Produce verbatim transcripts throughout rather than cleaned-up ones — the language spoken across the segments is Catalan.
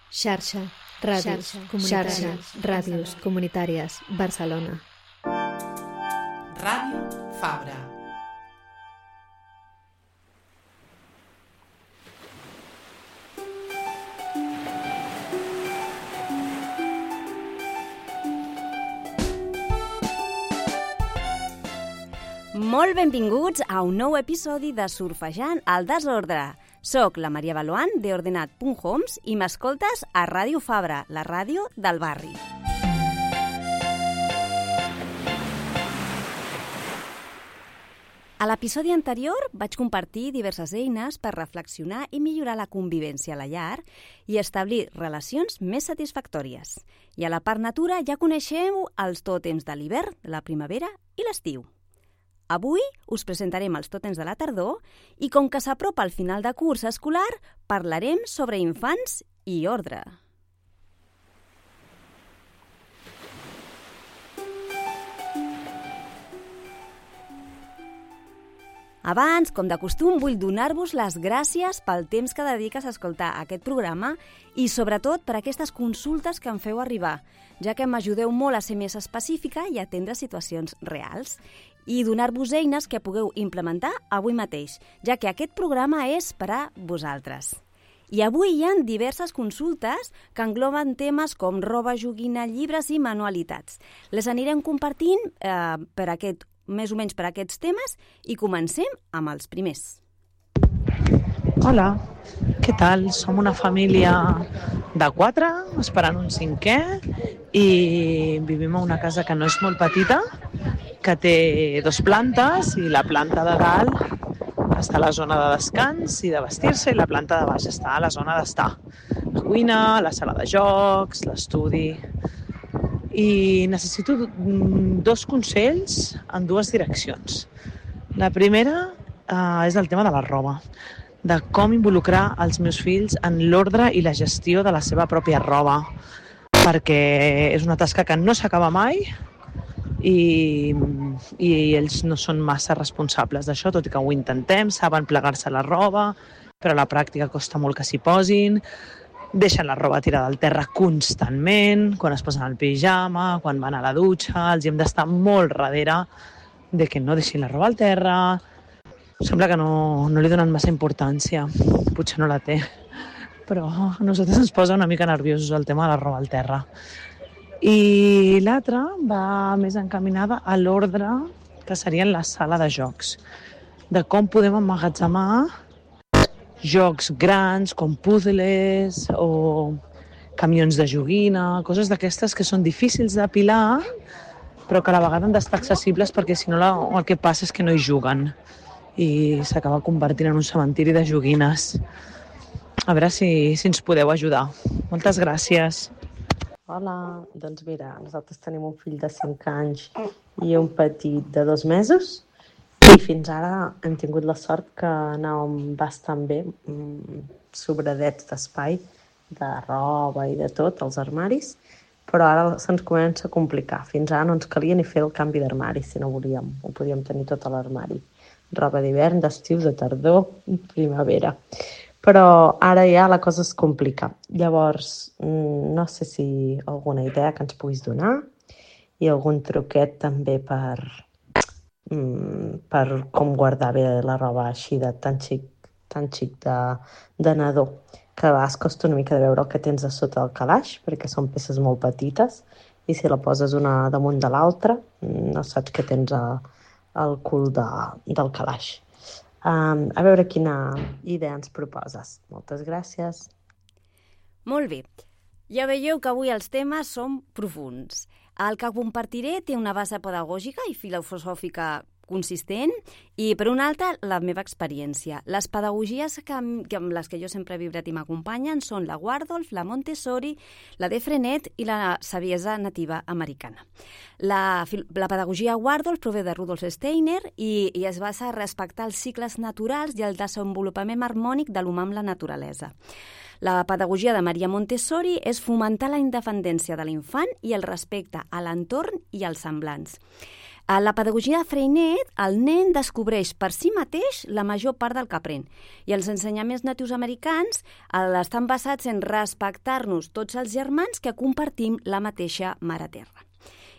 Xarxa, ràdios, xarxa, ràdios comunitàries, Barcelona. Ràdio Fabra. Molt benvinguts a un nou episodi de Surfejant al desordre. Soc la Maria Baloan, de ordenat punt homes, i m'escoltes a Ràdio Fabra, la ràdio del barri. A l'episodi anterior vaig compartir diverses eines per reflexionar i millorar la convivència a la llar i establir relacions més satisfactòries. I a la part natura ja coneixeu els tòtems de l'hivern, la primavera i l'estiu. Avui us presentarem els tòtems de la tardor i com que s'apropa el final de curs escolar, parlarem sobre infants i ordre. Abans, com de costum, vull donar-vos les gràcies pel temps que dediques a escoltar aquest programa i sobretot per aquestes consultes que em feu arribar, ja que m'ajudeu molt a ser més específica i a atendre situacions reals i donar-vos eines que pugueu implementar avui mateix, ja que aquest programa és per a vosaltres. I avui hi ha diverses consultes que engloben temes com roba, joguina, llibres i manualitats. Les anirem compartint eh, per aquest, més o menys per aquests temes i comencem amb els primers. Hola, què tal? Som una família de quatre, esperant un cinquè, i vivim a una casa que no és molt petita, que té dos plantes i la planta de dalt està a la zona de descans i de vestir-se i la planta de baix està a la zona d'estar. La cuina, la sala de jocs, l'estudi. I necessito dos consells en dues direccions. La primera eh, és el tema de la roba, de com involucrar els meus fills en l'ordre i la gestió de la seva pròpia roba, perquè és una tasca que no s'acaba mai i, i ells no són massa responsables d'això, tot i que ho intentem, saben plegar-se la roba, però a la pràctica costa molt que s'hi posin, deixen la roba tirada al terra constantment, quan es posen el pijama, quan van a la dutxa, els hem d'estar molt darrere de que no deixin la roba al terra. Sembla que no, no li donen massa importància, potser no la té, però a nosaltres ens posa una mica nerviosos el tema de la roba al terra. I l'altra va més encaminada a l'ordre que seria en la sala de jocs, de com podem emmagatzemar jocs grans com puzzles o camions de joguina, coses d'aquestes que són difícils d'apilar però que a la vegada han d'estar accessibles perquè si no la, el que passa és que no hi juguen i s'acaba convertint en un cementiri de joguines. A veure si, si ens podeu ajudar. Moltes gràcies. Hola, doncs mira, nosaltres tenim un fill de cinc anys i un petit de dos mesos i fins ara hem tingut la sort que anàvem bastant bé, sobradets d'espai, de roba i de tot, als armaris, però ara se'ns comença a complicar. Fins ara no ens calia ni fer el canvi d'armari, si no volíem, ho podíem tenir tot a l'armari. Roba d'hivern, d'estiu, de tardor, primavera. Però ara ja la cosa es complica. Llavors, no sé si alguna idea que ens puguis donar i algun truquet també per, per com guardar bé la roba així de tan xic, tan xic de, de nadó, que a vegades costa una mica de veure el que tens a sota del calaix, perquè són peces molt petites i si la poses una damunt de l'altra no saps què tens a, al cul de, del calaix. Um, a veure quina idea ens proposes. Moltes gràcies. Molt bé. Ja veieu que avui els temes són profunds. El que compartiré té una base pedagògica i filosòfica consistent i, per una altra, la meva experiència. Les pedagogies que, que amb les que jo sempre he vibrat i m'acompanyen són la Waldorf, la Montessori, la de Frenet i la saviesa nativa americana. La, la pedagogia Waldorf prové de Rudolf Steiner i, i es basa a respectar els cicles naturals i el desenvolupament harmònic de l'humà amb la naturalesa. La pedagogia de Maria Montessori és fomentar la independència de l'infant i el respecte a l'entorn i als semblants. A la pedagogia de Freinet, el nen descobreix per si mateix la major part del que aprèn. I els ensenyaments natius americans estan basats en respectar-nos tots els germans que compartim la mateixa mare terra.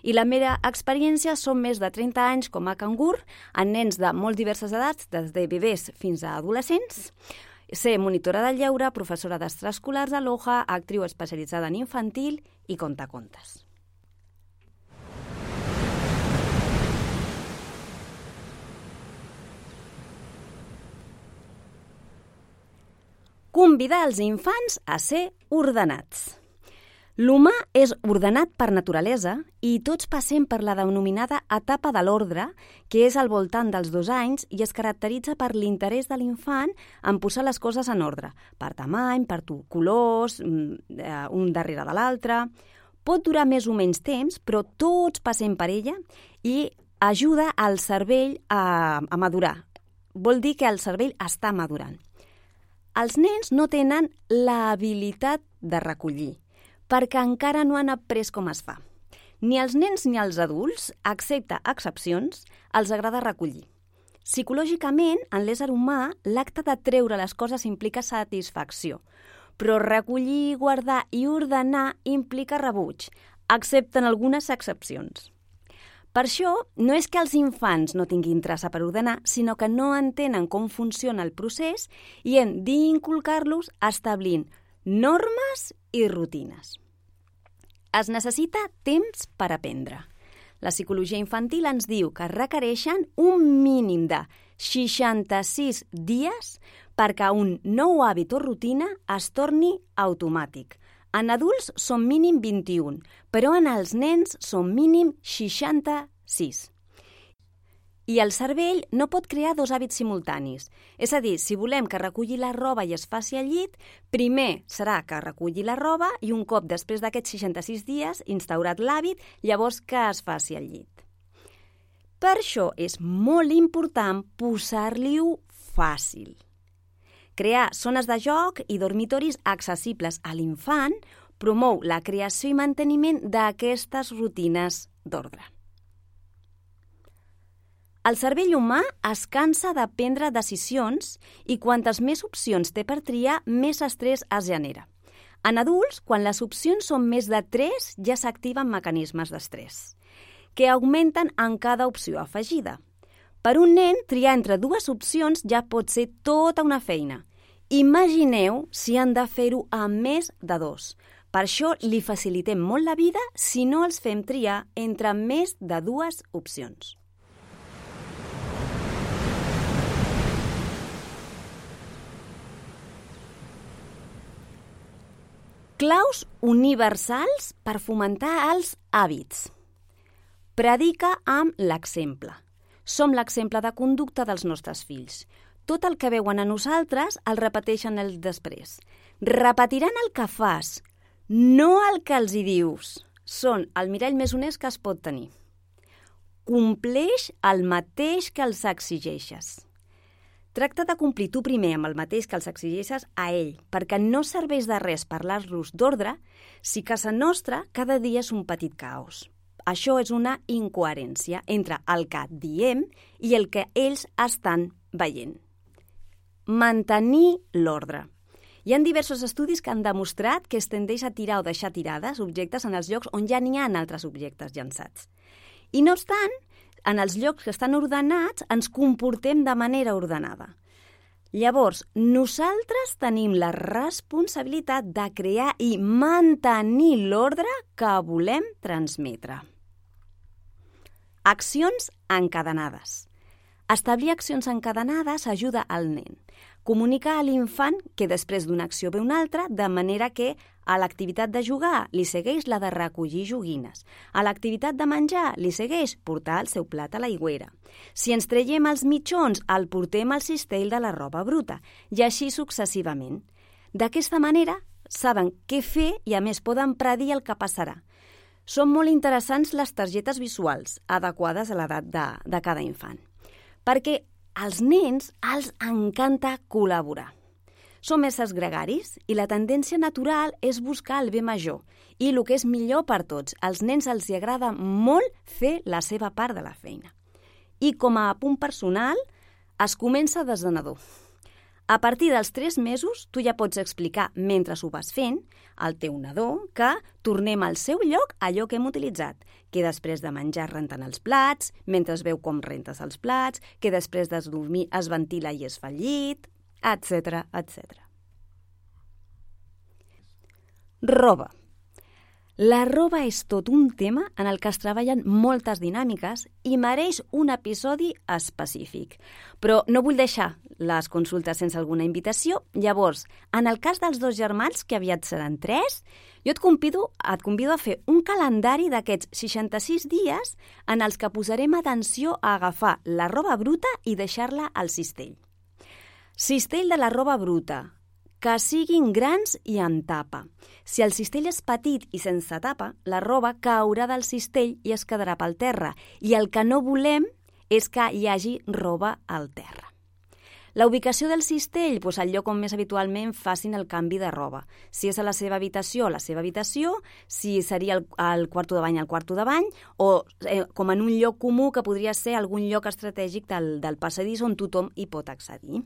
I la meva experiència són més de trenta anys com a cangur, en nens de molt diverses edats, des de bebès fins a adolescents. Ser monitora del lleure, professora d'extraescolars a l'O J A, actriu especialitzada en infantil i contacontes. Convidar els infants a ser ordenats. L'humà és ordenat per naturalesa i tots passem per la denominada etapa de l'ordre, que és al voltant dels dos anys i es caracteritza per l'interès de l'infant en posar les coses en ordre, per tamany, per colors, un darrere de l'altre. Pot durar més o menys temps, però tots passem per ella i ajuda al cervell a, a madurar. Vol dir que el cervell està madurant. Els nens no tenen l'habilitat de recollir, perquè encara no han après com es fa. Ni els nens ni els adults, excepte excepcions, els agrada recollir. Psicològicament, en l'ésser humà, l'acte de treure les coses implica satisfacció, però recollir, guardar i ordenar implica rebuig, excepte en algunes excepcions. Per això, no és que els infants no tinguin traça per ordenar, sinó que no entenen com funciona el procés i hem d'inculcar-los establint normes i rutines. Es necessita temps per aprendre. La psicologia infantil ens diu que requereixen un mínim de seixanta-sis dies perquè un nou hàbit o rutina es torni automàtic. En adults són mínim vint-i-un, però en els nens són mínim seixanta-sis. I el cervell no pot crear dos hàbits simultanis. És a dir, si volem que reculli la roba i es faci al llit, primer serà que reculli la roba i un cop després d'aquests seixanta-sis dies, instaurat l'hàbit, llavors que es faci al llit. Per això és molt important posar-li-ho fàcil. Crear zones de joc i dormitoris accessibles a l'infant promou la creació i manteniment d'aquestes rutines d'ordre. El cervell humà es cansa de prendre decisions i quantes més opcions té per triar, més estrès es genera. En adults, quan les opcions són més de tres, ja s'activen mecanismes d'estrès, que augmenten en cada opció afegida. Per un nen, triar entre dues opcions ja pot ser tota una feina. Imagineu si han de fer-ho amb més de dos. Per això li facilitem molt la vida si no els fem triar entre més de dues opcions. Claus universals per fomentar els hàbits. Predica amb l'exemple. Som l'exemple de conducta dels nostres fills. Tot el que veuen a nosaltres el repeteixen els després. Repetiran el que fas, no el que els hi dius. Són el mirall més honest que es pot tenir. Compleix el mateix que els exigeixes. Tracta de complir tu primer amb el mateix que els exigeixes a ell, perquè no serveix de res parlar-los d'ordre si casa nostra cada dia és un petit caos. Això és una incoherència entre el que diem i el que ells estan veient. Mantenir l'ordre. Hi ha diversos estudis que han demostrat que es tendeix a tirar o deixar tirades objectes en els llocs on ja n'hi ha altres objectes llançats. I no obstant, en els llocs que estan ordenats ens comportem de manera ordenada. Llavors, nosaltres tenim la responsabilitat de crear i mantenir l'ordre que volem transmetre. Accions encadenades. Establir accions encadenades ajuda al nen. Comunica a l'infant que després d'una acció ve una altra, de manera que a l'activitat de jugar li segueix la de recollir joguines. A l'activitat de menjar li segueix portar el seu plat a l'aigüera. Si ens traiem els mitjons, el portem al cistell de la roba bruta, i així successivament. D'aquesta manera, saben què fer i a més poden predir el que passarà. Són molt interessants les targetes visuals, adequades a l'edat de, de cada infant, perquè als nens els encanta col·laborar. Som éssers gregaris i la tendència natural és buscar el bé major i el que és millor per tots. Als nens els hi agrada molt fer la seva part de la feina. I com a punt personal, es comença des de nadó. A partir dels tres mesos, tu ja pots explicar, mentre ho vas fent, al teu nadó, que tornem al seu lloc allò que hem utilitzat, que després de menjar rentant els plats, mentre es veu com rentes els plats, que després de dormir es ventila i es fa el llit, etcètera, etcètera. Roba. La roba és tot un tema en el que es treballen moltes dinàmiques i mereix un episodi específic. Però no vull deixar les consultes sense alguna invitació. Llavors, en el cas dels dos germans, que aviat seran tres, jo et convido, et convido a fer un calendari d'aquests seixanta-sis dies en els que posarem atenció a agafar la roba bruta i deixar-la al cistell. Cistell de la roba bruta. Que siguin grans i amb tapa. Si el cistell és petit i sense tapa, la roba caurà del cistell i es quedarà pel terra. I el que no volem és que hi hagi roba al terra. La ubicació del cistell, doncs el lloc on més habitualment facin el canvi de roba. Si és a la seva habitació, a la seva habitació, si seria el, el quarto de bany, al quarto de bany, o eh, com en un lloc comú que podria ser algun lloc estratègic del, del passadís on tothom hi pot accedir.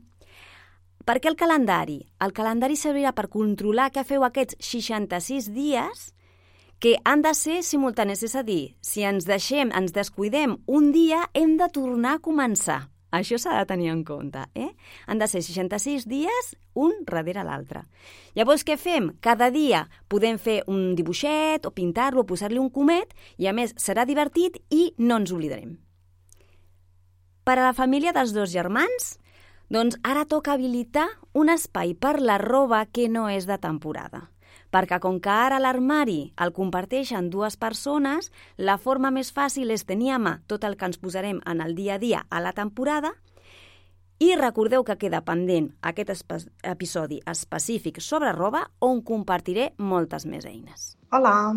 Per què el calendari? El calendari servirà per controlar què feu aquests seixanta-sis dies que han de ser simultanis. És a dir, si ens deixem, ens descuidem un dia, hem de tornar a començar. Això s'ha de tenir en compte. Eh? Han de ser seixanta-sis dies, un darrere l'altre. Llavors, què fem? Cada dia podem fer un dibuixet o pintar-lo o posar-li un comet i, a més, serà divertit i no ens oblidarem. Per a la família dels dos germans, doncs ara toca habilitar un espai per la roba que no és de temporada. Perquè com que ara l'armari el comparteixen dues persones, la forma més fàcil és tenir a mà tot el que ens posarem en el dia a dia a la temporada i recordeu que queda pendent aquest espe- episodi específic sobre roba on compartiré moltes més eines. Hola,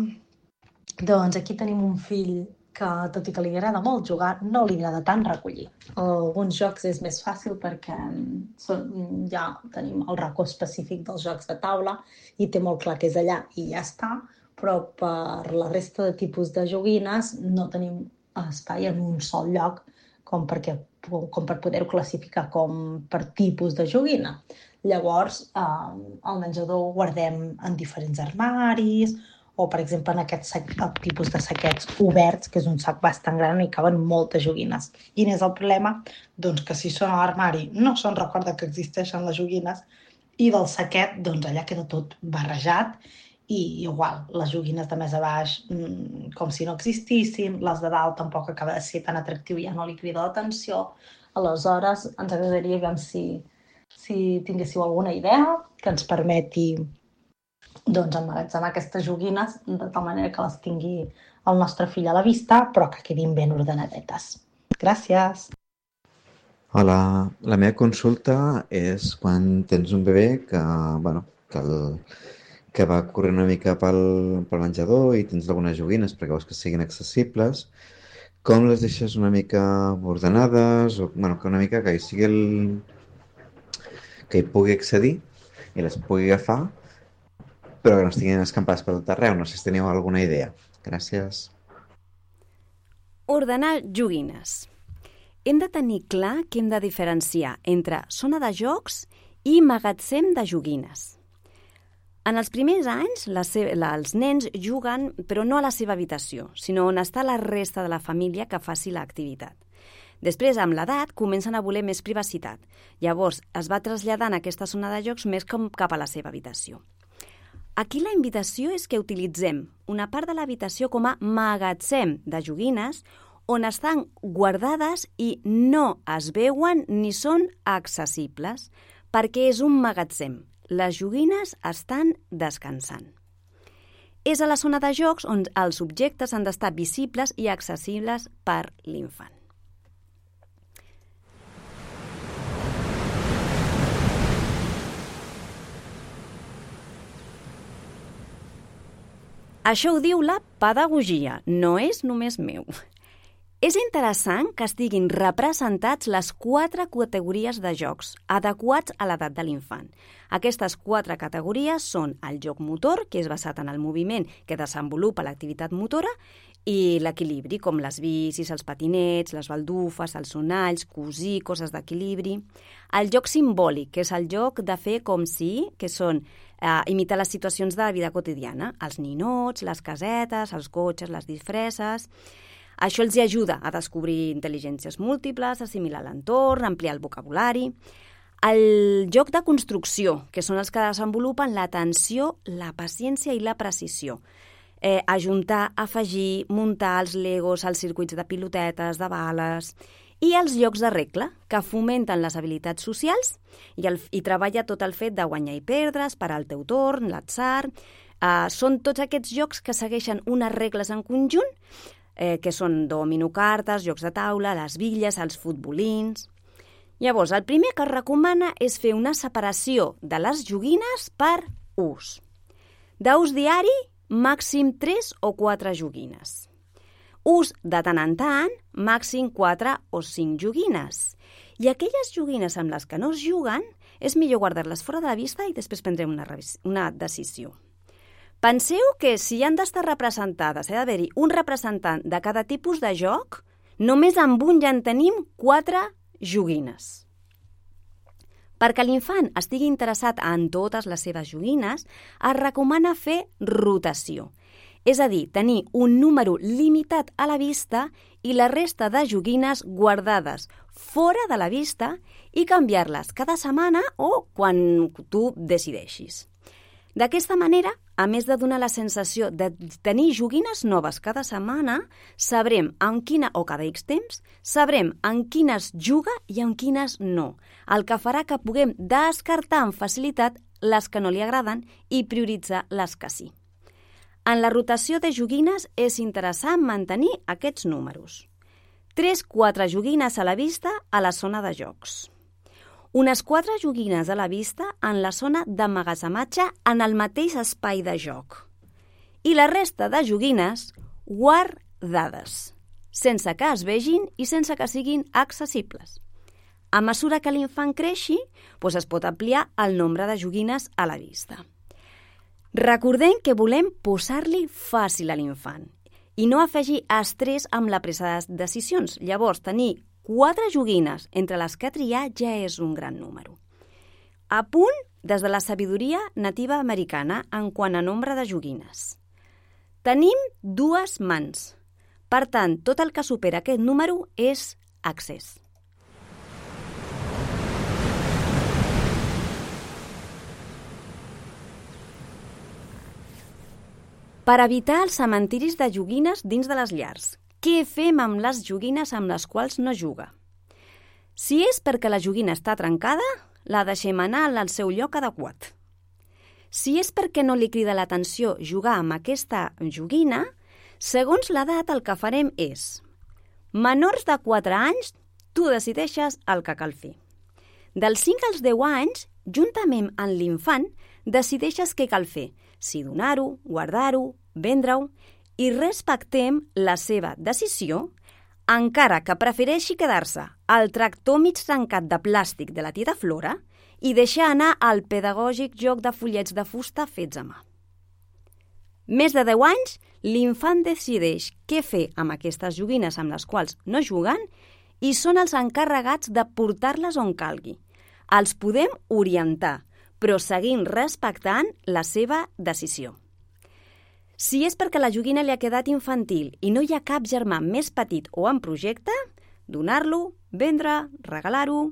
doncs aquí tenim un fill que, tot i que li agrada molt jugar, no li agrada tant recollir. Alguns jocs és més fàcil perquè són, ja tenim el racó específic dels jocs de taula i té molt clar que és allà i ja està, però per la resta de tipus de joguines no tenim espai en un sol lloc com, perquè, com per poder-ho classificar com per tipus de joguina. Llavors, eh, el menjador ho guardem en diferents armaris, o, per exemple, en aquest sac, el tipus de saquets oberts, que és un sac bastant gran i hi caben moltes joguines. I n'és el problema? Doncs que si són a l'armari no se'n recorda que existeixen les joguines i del saquet, doncs allà queda tot barrejat i igual, les joguines de més a baix mmm, com si no existissin, les de dalt tampoc acaba de ser tan atractiu i ja no li crida l'atenció. Aleshores, ens agradaria veure si, si tinguéssiu alguna idea que ens permeti doncs emmagatzemar aquestes joguines de tal manera que les tingui el nostre fill a la vista, però que quedin ben ordenadetes. Gràcies! Hola, la meva consulta és quan tens un bebè que, bueno, que, el, que va corrent una mica pel, pel menjador i tens algunes joguines perquè vols que siguin accessibles, com les deixes una mica ordenades, o bueno, que una mica que hi sigui el... que hi pugui accedir i les pugui agafar, però que no estiguin escampades per tot arreu. No sé si teniu alguna idea. Gràcies. Ordenar joguines. Hem de tenir clar que hem de diferenciar entre zona de jocs i magatzem de joguines. En els primers anys, la se- la, els nens juguen, però no a la seva habitació, sinó on està la resta de la família que faci l'activitat. Després, amb l'edat, comencen a voler més privacitat. Llavors, es va traslladant aquesta zona de jocs més com cap a la seva habitació. Aquí la invitació és que utilitzem una part de l'habitació com a magatzem de joguines on estan guardades i no es veuen ni són accessibles, perquè és un magatzem. Les joguines estan descansant. És a la zona de jocs on els objectes han d'estar visibles i accessibles per l'infant. Això ho diu la pedagogia, no és només meu. És interessant que estiguin representats les quatre categories de jocs adequats a l'edat de l'infant. Aquestes quatre categories són el joc motor, que és basat en el moviment que desenvolupa l'activitat motora, i l'equilibri, com les bicis, els patinets, les baldufes, els sonalls, cosir, coses d'equilibri. El joc simbòlic, que és el joc de fer com si, que són eh, imitar les situacions de la vida quotidiana, els ninots, les casetes, els cotxes, les disfresses. Això els ajuda a descobrir intel·ligències múltiples, assimilar l'entorn, ampliar el vocabulari. El joc de construcció, que són els que desenvolupen l'atenció, la paciència i la precisió. Eh, ajuntar, afegir, muntar els legos, els circuits de pilotetes, de bales, i els jocs de regla, que fomenten les habilitats socials i, el, i treballa tot el fet de guanyar i perdre, esperar el teu torn, l'atzar. Eh, són tots aquests jocs que segueixen unes regles en conjunt, eh, que són dominocartes, jocs de taula, les bitlles, els futbolins. Llavors, el primer que es recomana és fer una separació de les joguines per ús. D'ús diari, màxim tres o quatre joguines. Ús de tant en tant, màxim quatre o cinc joguines. I aquelles joguines amb les que no es juguen, és millor guardar-les fora de la vista i després prendrem una, una decisió. Penseu que si han d'estar representades, ha d'haver-hi un representant de cada tipus de joc, només amb un ja en tenim quatre joguines. Perquè l'infant estigui interessat en totes les seves joguines, es recomana fer rotació. És a dir, tenir un número limitat a la vista i la resta de joguines guardades fora de la vista i canviar-les cada setmana o quan tu decideixis. D'aquesta manera, a més de donar la sensació de tenir joguines noves cada setmana, sabrem en quina, o cada X temps, sabrem en quines juga i en quines no, el que farà que puguem descartar amb facilitat les que no li agraden i prioritzar les que sí. En la rotació de joguines és interessant mantenir aquests números. tres a quatre joguines a la vista a la zona de jocs. Unes quatre joguines a la vista en la zona d'emmagatzematge en el mateix espai de joc. I la resta de joguines guardades, sense que es vegin i sense que siguin accessibles. A mesura que l'infant creixi, doncs es pot ampliar el nombre de joguines a la vista. Recordem que volem posar-li fàcil a l'infant i no afegir estrès amb la presa de decisions. Llavors, tenir quatre joguines entre les que triar ja és un gran número. A punt des de la sabidoria nativa americana en quant a nombre de joguines. Tenim dues mans. Per tant, tot el que supera aquest número és excés. Per evitar els cementiris de joguines dins de les llars, què fem amb les joguines amb les quals no juga? Si és perquè la joguina està trencada, la deixem anar al seu lloc adequat. Si és perquè no li crida l'atenció jugar amb aquesta joguina, segons l'edat el que farem és: menors de quatre anys, tu decideixes el que cal fer. Dels cinc als deu anys, juntament amb l'infant, decideixes què cal fer, si donar-ho, guardar-ho, vendre-ho, i respectem la seva decisió, encara que prefereixi quedar-se al tractor mig trencat de plàstic de la tieta Flora i deixar anar al pedagògic joc de fullets de fusta fets a mà. Més de deu anys, l'infant decideix què fer amb aquestes joguines amb les quals no juguen i són els encarregats de portar-les on calgui. Els podem orientar, però seguint respectant la seva decisió. Si és perquè la joguina li ha quedat infantil i no hi ha cap germà més petit o en projecte, donar-lo, vendre, regalar-ho.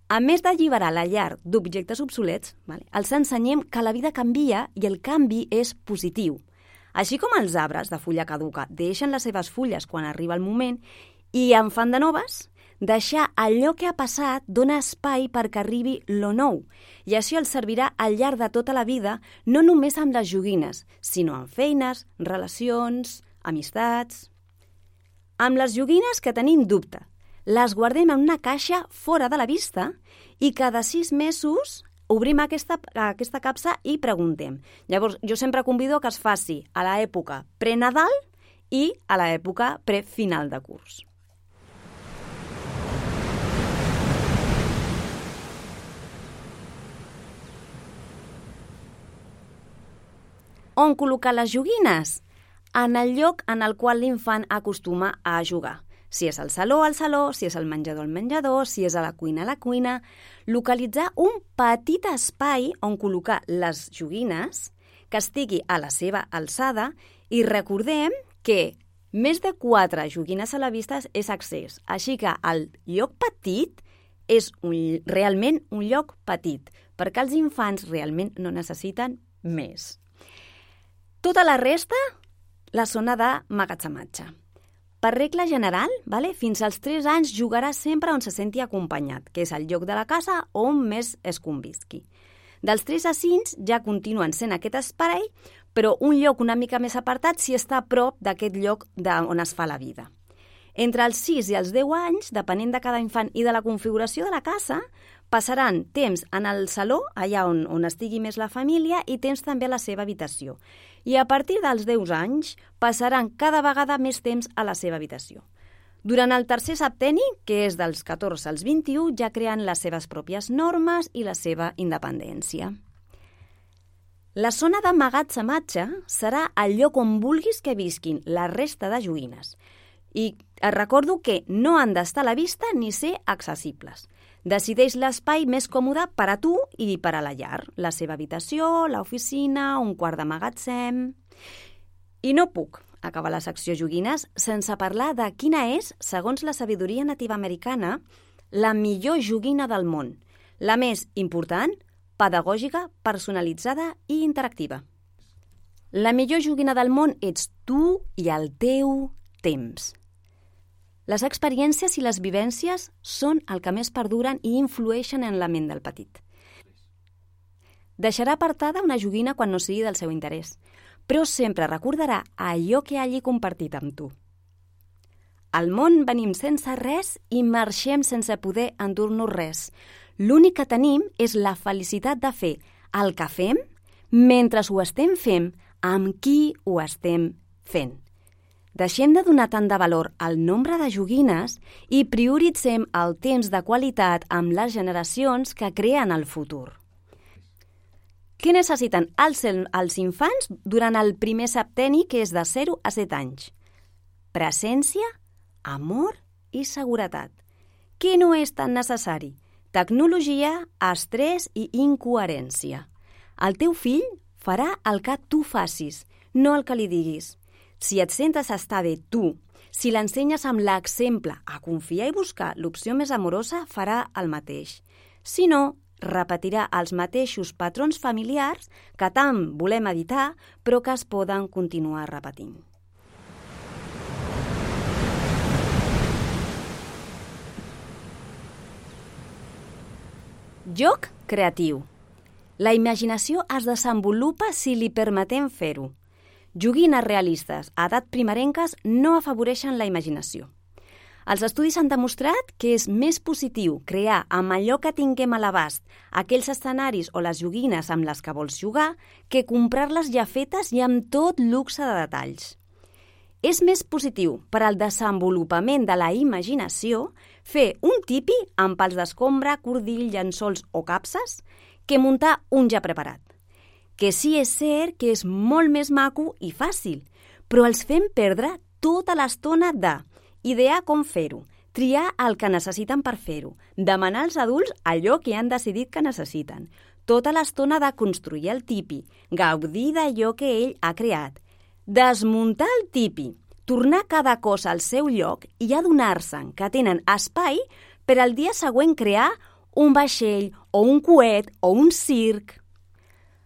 A més d'alliberar la llar d'objectes obsolets, els ensenyem que la vida canvia i el canvi és positiu. Així com els arbres de fulla caduca deixen les seves fulles quan arriba el moment i en fan de noves, deixar allò que ha passat dona espai perquè arribi lo nou i això els servirà al llarg de tota la vida, no només amb les joguines, sinó amb feines, relacions, amistats. Amb les joguines que tenim dubte, les guardem en una caixa fora de la vista i cada sis mesos obrim aquesta, aquesta capsa i preguntem. Llavors, jo sempre convido que es faci a l'època pre-Nadal i a l'època pre-final de curs. On col·locar les joguines? En el lloc en el qual l'infant acostuma a jugar. Si és al saló, al saló, si és al menjador, al menjador, si és a la cuina, a la cuina. Localitzar un petit espai on col·locar les joguines que estigui a la seva alçada i recordem que més de quatre joguines a la vista és excés. Així que el lloc petit és un, realment un lloc petit, perquè els infants realment no necessiten més. Tota la resta, la zona de magatzematge. Per regla general, vale, fins als tres anys jugarà sempre on se senti acompanyat, que és el lloc de la casa on més es convisqui. Dels tres a cinc ja continuen sent aquest espai, però un lloc una mica més apartat si està a prop d'aquest lloc on es fa la vida. Entre els sis i els deu anys, depenent de cada infant i de la configuració de la casa, passaran temps en el saló, allà on, on estigui més la família, i temps també a la seva habitació. I a partir dels deu anys passaran cada vegada més temps a la seva habitació. Durant el tercer septenni, que és dels catorze als vint-i-u, ja creen les seves pròpies normes i la seva independència. La zona de magatzematge serà el lloc on vulguis que visquin la resta de joguines. I et recordo que no han d'estar a la vista ni ser accessibles. Decideix l'espai més còmode per a tu i per a la llar, la seva habitació, l'oficina, un quart de magatzem. I no puc acabar la secció joguines sense parlar de quina és, segons la sabidoria nativa americana, la millor joguina del món, la més important, pedagògica, personalitzada i interactiva. La millor joguina del món ets tu i el teu temps. Les experiències i les vivències són el que més perduren i influeixen en la ment del petit. Deixarà apartada una joguina quan no sigui del seu interès, però sempre recordarà allò que hagi compartit amb tu. Al món venim sense res i marxem sense poder endur-nos res. L'únic que tenim és la felicitat de fer el que fem mentre ho estem fent amb qui ho estem fent. Deixem de donar tant de valor al nombre de joguines i prioritzem el temps de qualitat amb les generacions que creen el futur. Què necessiten els, els infants durant el primer septenni, que és de zero a set anys? Presència, amor i seguretat. Què no és tan necessari? Tecnologia, estrès i incoherència. El teu fill farà el que tu facis, no el que li diguis. Si et sentes estar bé tu, si l'ensenyes amb l'exemple a confiar i buscar l'opció més amorosa, farà el mateix. Si no, repetirà els mateixos patrons familiars que tant volem evitar, però que es poden continuar repetint. Joc creatiu. La imaginació es desenvolupa si li permetem fer-ho. Joguines realistes a edat primerenques no afavoreixen la imaginació. Els estudis han demostrat que és més positiu crear amb allò que tinguem a l'abast aquells escenaris o les joguines amb les que vols jugar que comprar-les ja fetes i amb tot luxe de detalls. És més positiu per al desenvolupament de la imaginació fer un tipi amb pals d'escombra, cordill, llençols o capses que muntar un ja preparat. Que sí és cert que és molt més maco i fàcil, però els fem perdre tota l'estona de idear com fer-ho, triar el que necessiten per fer-ho, demanar als adults allò que han decidit que necessiten, tota l'estona de construir el tipi, gaudir d'allò que ell ha creat, desmuntar el tipi, tornar cada cosa al seu lloc i adonar-se'n que tenen espai per al dia següent crear un vaixell o un coet o un circ.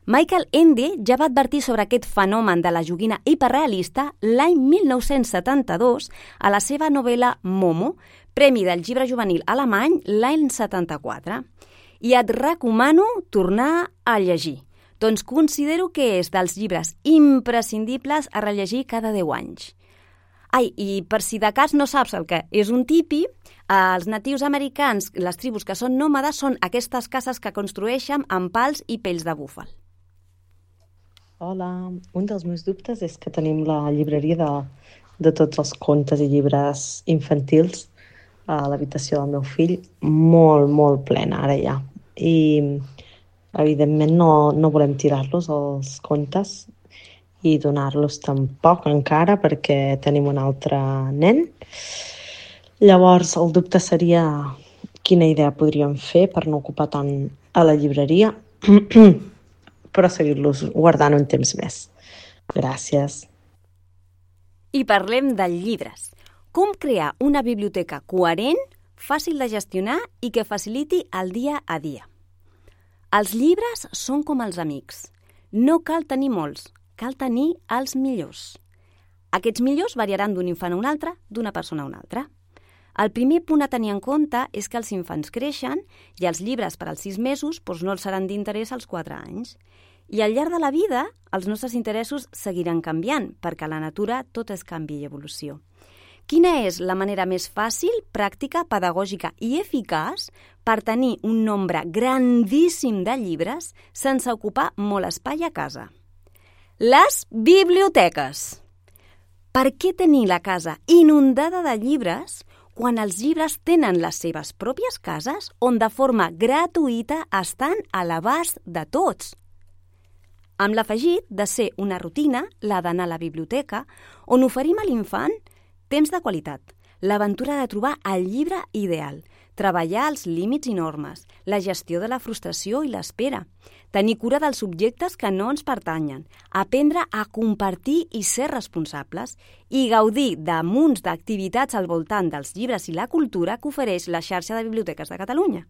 Michael Ende ja va advertir sobre aquest fenomen de la joguina hiperrealista l'any mil nou-cents setanta-dos a la seva novel·la Momo, Premi del Llibre Juvenil alemany l'any setanta-quatre. I et recomano tornar a llegir. Doncs considero que és dels llibres imprescindibles a rellegir cada deu anys. Ai, i per si de cas no saps el que és un tipi, els natius americans, les tribus que són nòmades, són aquestes cases que construeixen amb pals i pells de búfal. Hola, un dels meus dubtes és que tenim la llibreria de, de tots els contes i llibres infantils a l'habitació del meu fill molt, molt plena ara ja. I evidentment no, no volem tirar-los, els contes, i donar-los tampoc encara perquè tenim un altre nen. Llavors, el dubte seria quina idea podríem fer per no ocupar tant a la llibreria, però seguir-los guardant un temps més. Gràcies. I parlem de llibres. Com crear una biblioteca coherent, fàcil de gestionar i que faciliti el dia a dia. Els llibres són com els amics. No cal tenir molts, cal tenir els millors. Aquests millors variaran d'un infant a un altre, d'una persona a una altra. El primer punt a tenir en compte és que els infants creixen i els llibres per als sis mesos doncs no els seran d'interès als quatre anys. I al llarg de la vida, els nostres interessos seguiran canviant, perquè a la natura tot és canvi i evolució. Quina és la manera més fàcil, pràctica, pedagògica i eficaç per tenir un nombre grandíssim de llibres sense ocupar molt espai a casa? Les biblioteques. Per què tenir la casa inundada de llibres quan els llibres tenen les seves pròpies cases on de forma gratuïta estan a l'abast de tots? Amb l'afegit de ser una rutina, la d'anar a la biblioteca, on oferim a l'infant temps de qualitat, l'aventura de trobar el llibre ideal, treballar els límits i normes, la gestió de la frustració i l'espera, tenir cura dels subjectes que no ens pertanyen, aprendre a compartir i ser responsables i gaudir de munts d'activitats al voltant dels llibres i la cultura que ofereix la xarxa de biblioteques de Catalunya.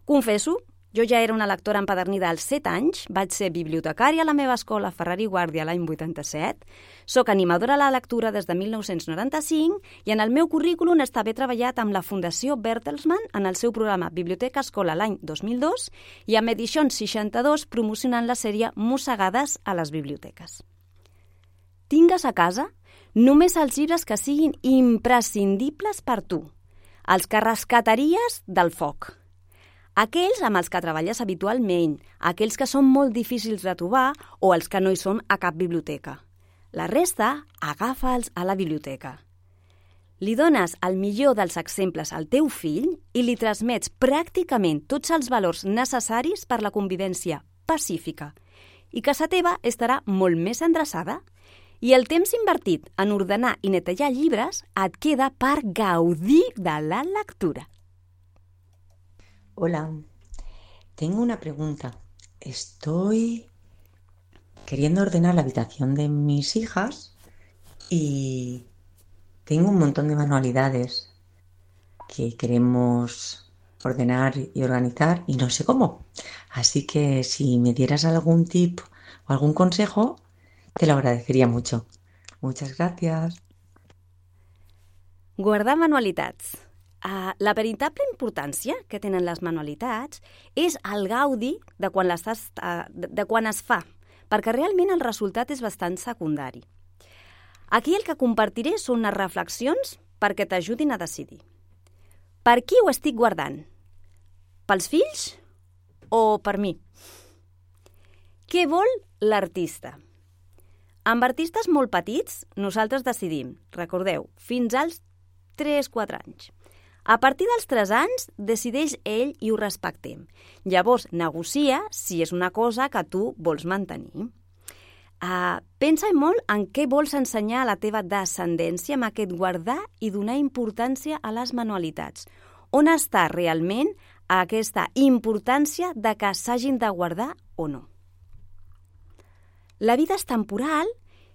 Confesso, jo ja era una lectora empedernida als set anys, vaig ser bibliotecària a la meva escola Ferrari Guàrdia l'any vuitanta-set, soc animadora a la lectura des de mil nou-cents noranta-cinc i en el meu currículum està haver treballat amb la Fundació Bertelsmann en el seu programa Biblioteca Escola l'any dos mil dos i amb Edicions seixanta-dos promocionant la sèrie Mossegades a les biblioteques. Tingues a casa només els llibres que siguin imprescindibles per tu, els que rescataries del foc. Aquells amb els que treballes habitualment, aquells que són molt difícils de trobar o els que no hi són a cap biblioteca. La resta, agafa'ls a la biblioteca. Li dones el millor dels exemples al teu fill i li transmets pràcticament tots els valors necessaris per la convivència pacífica i casa teva estarà molt més endreçada i el temps invertit en ordenar i netejar llibres et queda per gaudir de la lectura. Hola, tengo una pregunta. Estoy queriendo ordenar la habitación de mis hijas y tengo un montón de manualidades que queremos ordenar y organizar y no sé cómo. Así que si me dieras algún tip o algún consejo, te lo agradecería mucho. Muchas gracias. Guardar manualitats. Uh, la veritable importància que tenen les manualitats és el gaudi de quan, l'estàs, uh, de, de quan es fa, perquè realment el resultat és bastant secundari. Aquí el que compartiré són unes reflexions perquè t'ajudin a decidir. Per qui ho estic guardant? Pels fills o per mi? Què vol l'artista? Amb artistes molt petits, nosaltres decidim, recordeu, fins als tres quatre anys. A partir dels tres anys, decideix ell i ho respectem. Llavors, negocia si és una cosa que tu vols mantenir. Uh, pensa molt en què vols ensenyar a la teva descendència amb aquest guardar i donar importància a les manualitats. On està realment aquesta importància de que s'hagin de guardar o no? La vida és temporal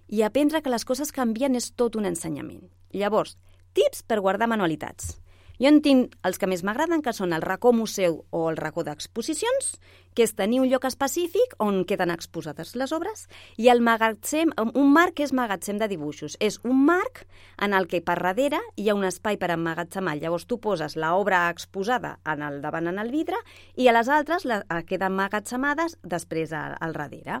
i aprendre que les coses canvien és tot un ensenyament. Llavors, tips per guardar manualitats. Jo en tinc els que més m'agraden, que són el racó museu o el racó d'exposicions, que és tenir un lloc específic on queden exposades les obres, i el magatzem, un marc que és magatzem de dibuixos. És un marc en el que per darrere hi ha un espai per emmagatzemar. Llavors tu poses l'obra exposada en el davant en el vidre i a les altres la, queden emmagatzemades després al, al darrere.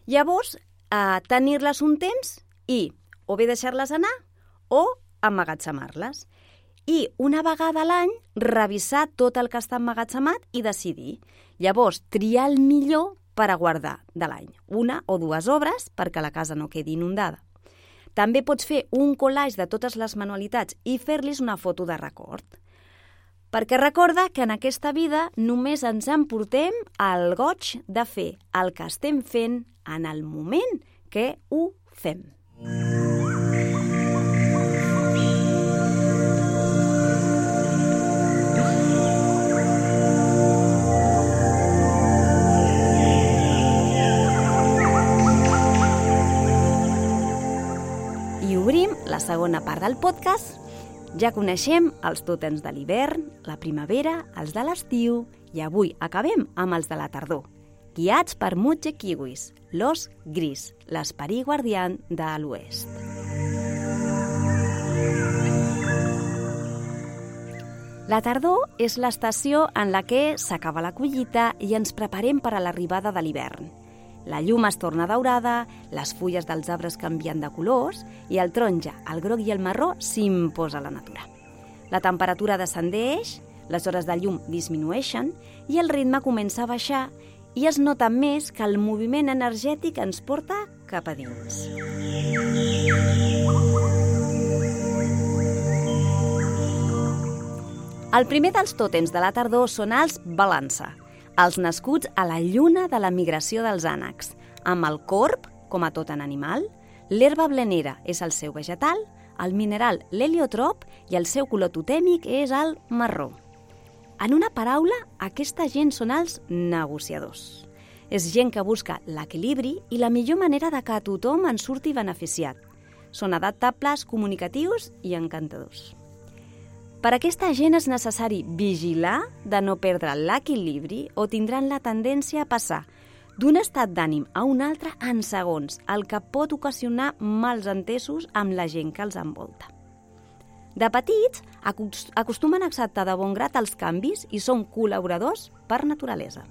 Llavors, eh, tenir-les un temps i o bé deixar-les anar o emmagatzemar-les. I una vegada a l'any revisar tot el que està emmagatzemat i decidir. Llavors, triar el millor per a guardar de l'any. Una o dues obres perquè la casa no quedi inundada. També pots fer un collage de totes les manualitats i fer-los una foto de record. Perquè recorda que en aquesta vida només ens emportem el goig de fer el que estem fent en el moment que ho fem. I obrim la segona part del podcast. Ja coneixem els tòtems de l'hivern, la primavera, els de l'estiu i avui acabem amb els de la tardor, guiats per Mutge Kiwis, l'os gris, l'esperit guardián de l'oest. La tardor és l'estació en la que s'acaba la collita i ens preparem per a l'arribada de l'hivern. La llum es torna daurada, les fulles dels arbres canvien de colors i el taronja, el groc i el marró s'imposa a la natura. La temperatura descendeix, les hores de llum disminueixen i el ritme comença a baixar i es nota més que el moviment energètic ens porta cap a dins. El primer dels tòtems de la tardor són els balança, els nascuts a la lluna de la migració dels ànecs, amb el corb, com a tot en animal, l'herba blenera és el seu vegetal, el mineral l'heliotrop i el seu color totèmic és el marró. En una paraula, aquesta gent són els negociadors. És gent que busca l'equilibri i la millor manera de que tothom en surti beneficiat. Són adaptables, comunicatius i encantadors. Per aquesta gent és necessari vigilar de no perdre l'equilibri o tindran la tendència a passar d'un estat d'ànim a un altre en segons, el que pot ocasionar mals entesos amb la gent que els envolta. De petits, acostumen a acceptar de bon grat els canvis i són col·laboradors per naturalesa.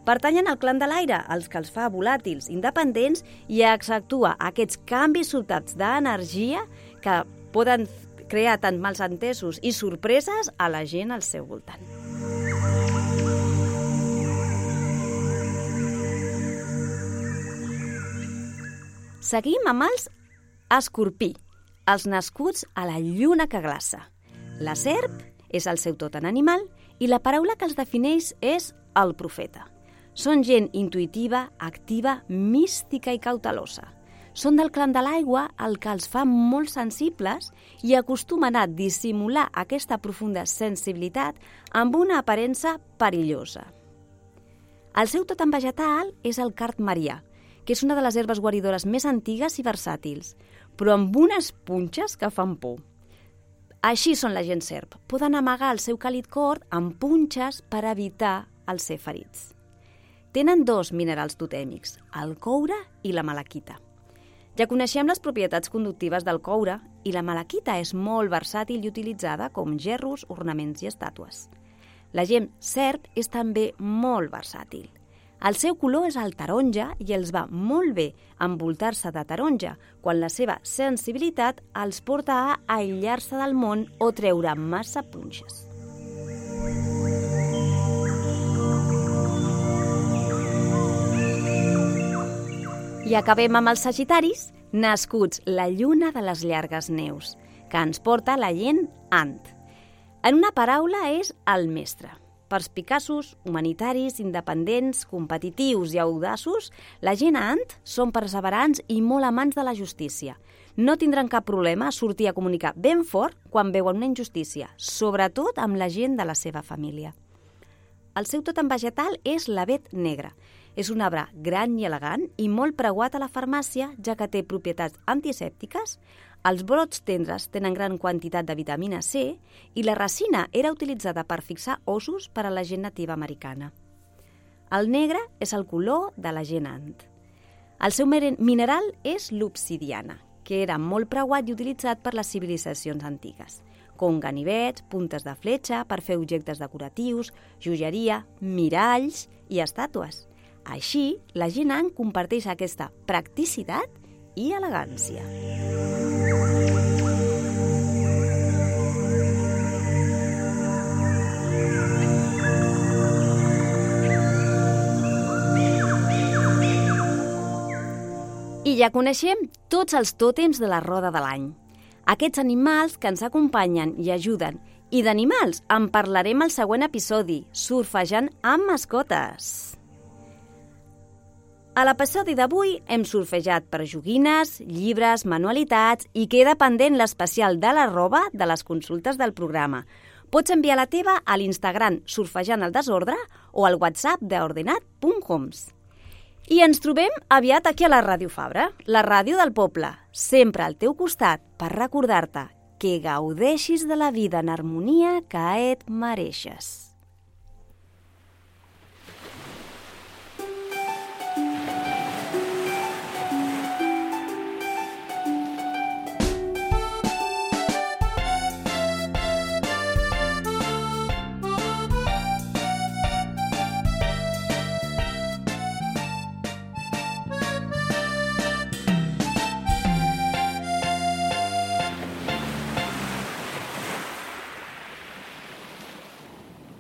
Pertanyen al clan de l'aire, els que els fa volàtils, independents i accentua aquests canvis sobtats d'energia que poden crear tant mals entesos i sorpreses a la gent al seu voltant. Seguim amb els escorpí, els nascuts a la lluna que glaça. La serp és el seu tòtem animal i la paraula que els defineix és el profeta. Són gent intuïtiva, activa, mística i cautelosa. Són del clan de l'aigua, el que els fa molt sensibles i acostumen a dissimular aquesta profunda sensibilitat amb una aparença perillosa. El seu tòtem vegetal és el card marià, que és una de les herbes guaridores més antigues i versàtils, però amb unes punxes que fan por. Així són la gent serp. Poden amagar el seu càlid cor amb punxes per evitar el ser ferits. Tenen dos minerals totèmics, el coure i la malaquita. Ja coneixem les propietats conductives del coure i la malaquita és molt versàtil i utilitzada com gerros, ornaments i estàtues. La gent serp és també molt versàtil. El seu color és el taronja i els va molt bé envoltar-se de taronja quan la seva sensibilitat els porta a aïllar-se del món o treure massa punxes. I acabem amb els sagitaris, nascuts la lluna de les llargues neus, que ens porta la gent ant. En una paraula és el mestre. Perspicaços, humanitaris, independents, competitius i audaços, la gent ant són perseverants i molt amants de la justícia. No tindran cap problema a sortir a comunicar ben fort quan veuen una injustícia, sobretot amb la gent de la seva família. El seu tòtem vegetal és l'avet negre. És un arbre gran i elegant i molt preuat a la farmàcia, ja que té propietats antisèptiques. Els brots tendres tenen gran quantitat de vitamina C i la resina era utilitzada per fixar ossos per a la gent nativa americana. El negre és el color de la gent ant. El seu mineral és l'obsidiana, que era molt preuat i utilitzat per les civilitzacions antigues, com ganivets, puntes de fletxa per fer objectes decoratius, joieria, miralls i estàtues. Així, la gent ant comparteix aquesta practicitat i elegància. I ja coneixem tots els tòtems de la roda de l'any. Aquests animals que ens acompanyen i ajuden. I d'animals en parlarem al següent episodi, surfejant amb mascotes. A l'episodi d'avui hem surfejat per joguines, llibres, manualitats i queda pendent l'especial de l'arroba de les consultes del programa. Pots enviar la teva a l'Instagram Surfejant el Desordre o al WhatsApp d'ordenat punt homes. I ens trobem aviat aquí a la Ràdio Fabra, la ràdio del poble, sempre al teu costat per recordar-te que gaudeixis de la vida en harmonia que et mereixes.